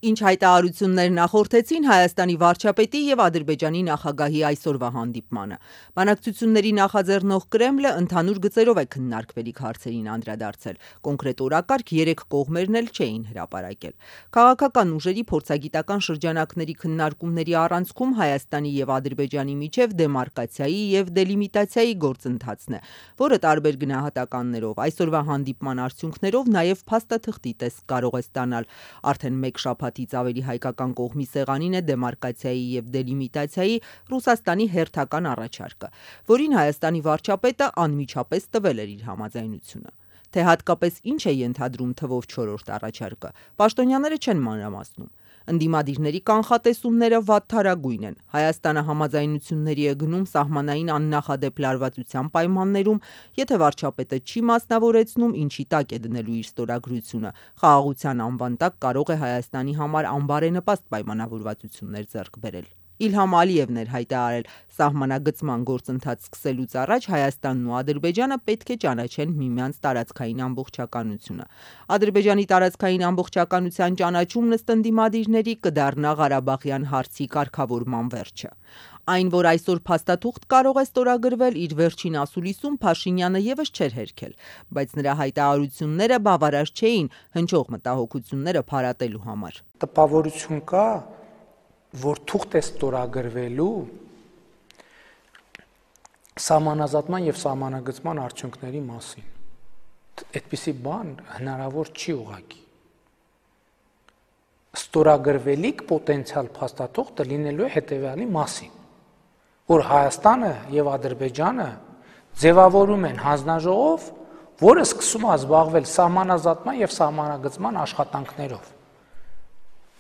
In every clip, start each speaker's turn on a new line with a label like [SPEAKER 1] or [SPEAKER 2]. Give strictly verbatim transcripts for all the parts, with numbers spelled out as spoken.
[SPEAKER 1] Ինչ հայտարարություններ նախորդեցին Հայաստանի վարչապետի եւ Ադրբեջանի նախագահի այսօրվա հանդիպմանը։ Բանակցությունների նախաձեռնող Կրեմլը ընդհանուր գծերով է քննարկվելիք հարցերին անդրադարձել։ Կոնկրետ օրակարգ երեք կողմերն էլ չէին հրապարակել։ Քաղաքական ուժերի փորձագիտական շրջանակների քննարկումների առանցքում Հայաստանի եւ Ադրբեջանի միջև դեմարկացիայի եւ դելիմիտացիայի գործընթացն է, որը տարբեր գնահատականներով այսօրվա հանդիպման արդյունքներով նաեւ փաստաթղթի տեսք կարող է ստանալ։ Արդեն մեկ շաբաթից ավելի հայկական կողմի սեղանին է դեմարկացիայի եւ դելիմիտացիայի Ռուսաստանի հերթական առաջարկը, որին Հայաստանի վարչապետը անմիջապես տվել էր իր համաձայնությունը։ Թե հատկապես ինչ է ենթադրում թվով չորրորդ առաջարկը, պաշտոնյաները չեն մանրամասնում։ Ընդդիմադիրների կանխատեսումները վատթարագույն են։ Հայաստանը համաձայնությունների է գնում սահմանային աննախադեպ լարվածության պայմաններում, եթե վարչապետը չի մասնավորեցնում, ինչի տակ է դնելու իր ստորագրությունը, խաղաղության անվան տակ կարող է Հայաստանի համար անբարենպաստ պայմանավորվածություններ ձեռք բերել։ Իլհամ Ալիևն էր հայտարարել, սահմանագծման գործընթաց սկսելուց առաջ Հայաստանն ու Ադրբեջանը պետք է ճանաչեն միմյանց տարածքային ամբողջականությունը։ Ադրբեջանի տարածքային ամբողջականության ճանաչումն ըստ ընդդիմադիրների կդառնա Ղարաբաղյան հարցի կարգավորման վերջը։ Այն, որ այսօր փաստաթուղթ կարող է ստորագրվել, իր վերջին ասուլիսում Փաշինյանը եւս չէր հերքել, բայց նրա հայտարարությունները բավարար չէին հնչող մտահոգությունները փարատելու համար։
[SPEAKER 2] Տպավորություն կա, որ թուղթ է ստորագրվելու սահմանազատման եւ սահմանագծման արդյունքների մասին։ Այդպիսի բան հնարավոր չի ուղղակի։ Ստորագրվելիք պոտենցիալ փաստաթուղթը լինելու է հետեւյալի մասին, որ Հայաստանը եւ Ադրբեջանը ձևավորում են հանձնաժողով, որը սկսում է զբաղվել սահմանազատման եւ սահմանագծման աշխատանքներով։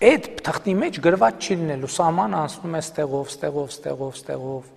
[SPEAKER 2] Այդ թղթի մեջ գրված չի լինելու սահմանը անցնում է ստեղով, ստեղով, ստեղով, ստեղով։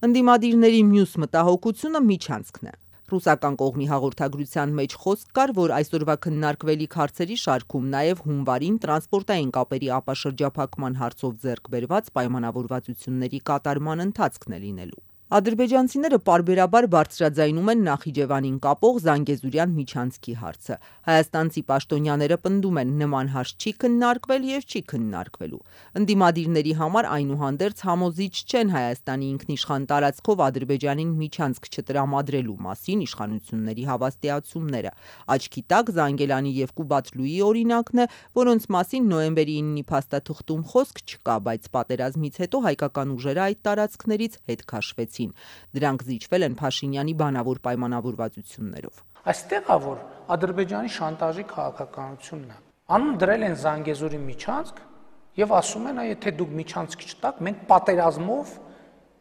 [SPEAKER 1] Ընդդիմադիրների մյուս մտահոգությունը միջանցքն է։ Ռուսական կողմի հաղորդագրության մեջ խոսք կար, որ այսօրվա քննարկվելիք հարցերի շարքում նաև հունվարին տրանսպորտային կապերի ապաշրջափակման հարցով ձեռք բերված պայմանավորվածությունների կատարման ընթացքն է լինելու։ Ադրբեջանցիները պարբերաբար բարձրաձայնում են Նախիջևանին կապող Զանգեզուրյան միջանցքի հարցը։ Հայաստանցի պաշտոնյաները պնդում են, նման հարց չի քննարկվել եւ չի քննարկվելու։ Ընդդիմադիրների համար այնուհանդերձ համոզիչ չեն Հայաստանի ինքնիշխան տարածքով Ադրբեջանին միջանցք չտրամադրելու մասին իշխանությունների հավաստիացումները։ Աչքի տակ Զանգելանի եւ Կուբատլուի օրինակն է, որոնց մասին նոյեմբերի իննի փաստաթղթում խոսք չկա, բայց պատերազմից հետո հայկական ուժերը այդ տարածքներից հետ քաշվեցին։ Դրանք զիջվել են Փաշինյանի բանավոր պայմանավորվածություններով։
[SPEAKER 2] Այստեղ է որ Ադրբեջանի շանտաժի քաղաքականությունն է։ Անուն դրել են Զանգեզուրի միջանցք եւ ասում են, եթե դուք միջանցք չտաք, մենք պատերազմով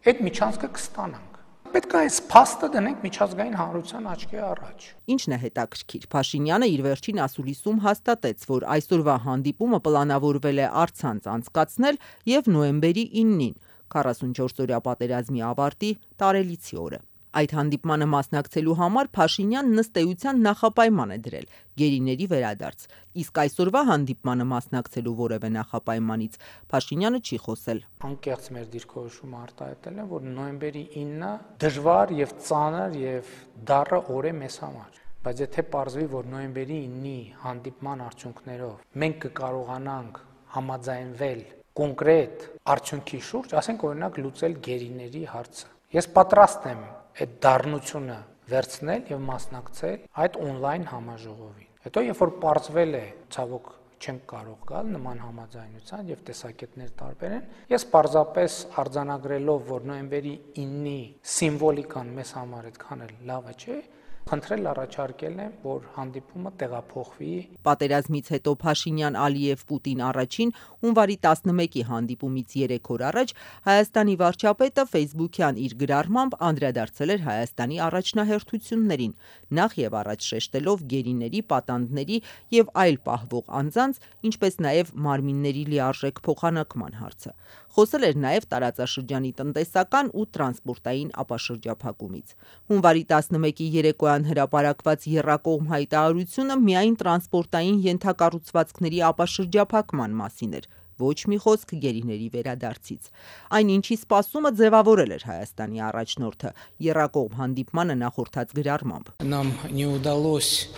[SPEAKER 2] այդ միջանցքը կստանանք։ Պետք է այս փաստը դնենք միջազգային հանրության աչքի առաջ։
[SPEAKER 1] Ինչն է հետաքրքիր, Փաշինյանը իր վերջին ասուլիսում հաստատեց, որ այսօրվա հանդիպումը պլանավորվել է առցանց անցկացնել եւ նոյեմբերի իննին, քառասունչորս-օրյա պատերազմի ավարտի տարելիցի օրը։ Այդ հանդիպմանը մասնակցելու համար Փաշինյանն ըստ էության նախապայման է դրել գերիների վերադարձ, իսկ այսօրվա հանդիպմանը մասնակցելու որևէ նախապայմանից Փաշինյանը չի խոսել։
[SPEAKER 2] Անկեղծ մեր դիրքորոշումը արտահայտել է, որ նոյեմբերի ինը դժվար եւ ծանր եւ դառը օր է մեզ համար, բայց եթե պարզվի, որ նոյեմբերի ինի հանդիպման արդյունքներով մենք կկարողանանք համաձայնվել կոնկրետ արդյունքի շուրջ, ասենք օրինակ լուծել գերիների հարցը, ես պատրաստ եմ այդ դառնությունը վերցնել եւ մասնակցել այդ on-line համաժողովին։ Հետո երբ որ պարզվել է, ցավոք չեմ կարող գալ նման համաձայնության եւ տեսակետներ տարբեր են, ես պարզապես արձանագրելով, որ նոյեմբերի ինի սիմվոլիկան մեզ համար այդքան էլ լավը չէ, խնդրել առաջարկել եմ, որ հանդիպումը տեղափոխվի։
[SPEAKER 1] Պատերազմից հետո Փաշինյան-Ալիև-Պուտին առաջին հունվարի տասնմեկի հանդիպումից երեք օր առաջ Հայաստանի վարչապետը Facebook-յան իր գրառմամբ անդրադարձել էր Հայաստանի առաջնահերթություններին, նախ եւ առաջ շեշտելով գերիների, պատանդների եւ այլ պահվող անձանց, ինչպես նաեւ մարմինների լիարժեք փոխանակման հարցը։ Խոսել էր նաեւ տարածաշրջանի տնտեսական ու տրանսպորտային ապաշրջափակումից։ Հունվարի տասնմեկի երեկոյան հրապարակված եռակողմ հայտարարությունը միայն տրանսպորտային ենթակառուցվածքների ապաշրջափակման մասին էր, ոչ մի խոսք գերիների վերադարձից։ Այն ինչի սպասումը ձևավորել էր Հայաստանի առաջնորդը եռակողմ հանդիպմանը նախորդած գրառմամբ։
[SPEAKER 2] Нам не удалось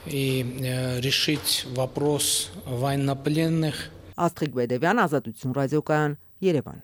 [SPEAKER 2] и решить вопрос военнопленных.
[SPEAKER 1] Աստղիկ Բեդևյան, Ազատություն ռադիոկայան, Երևան։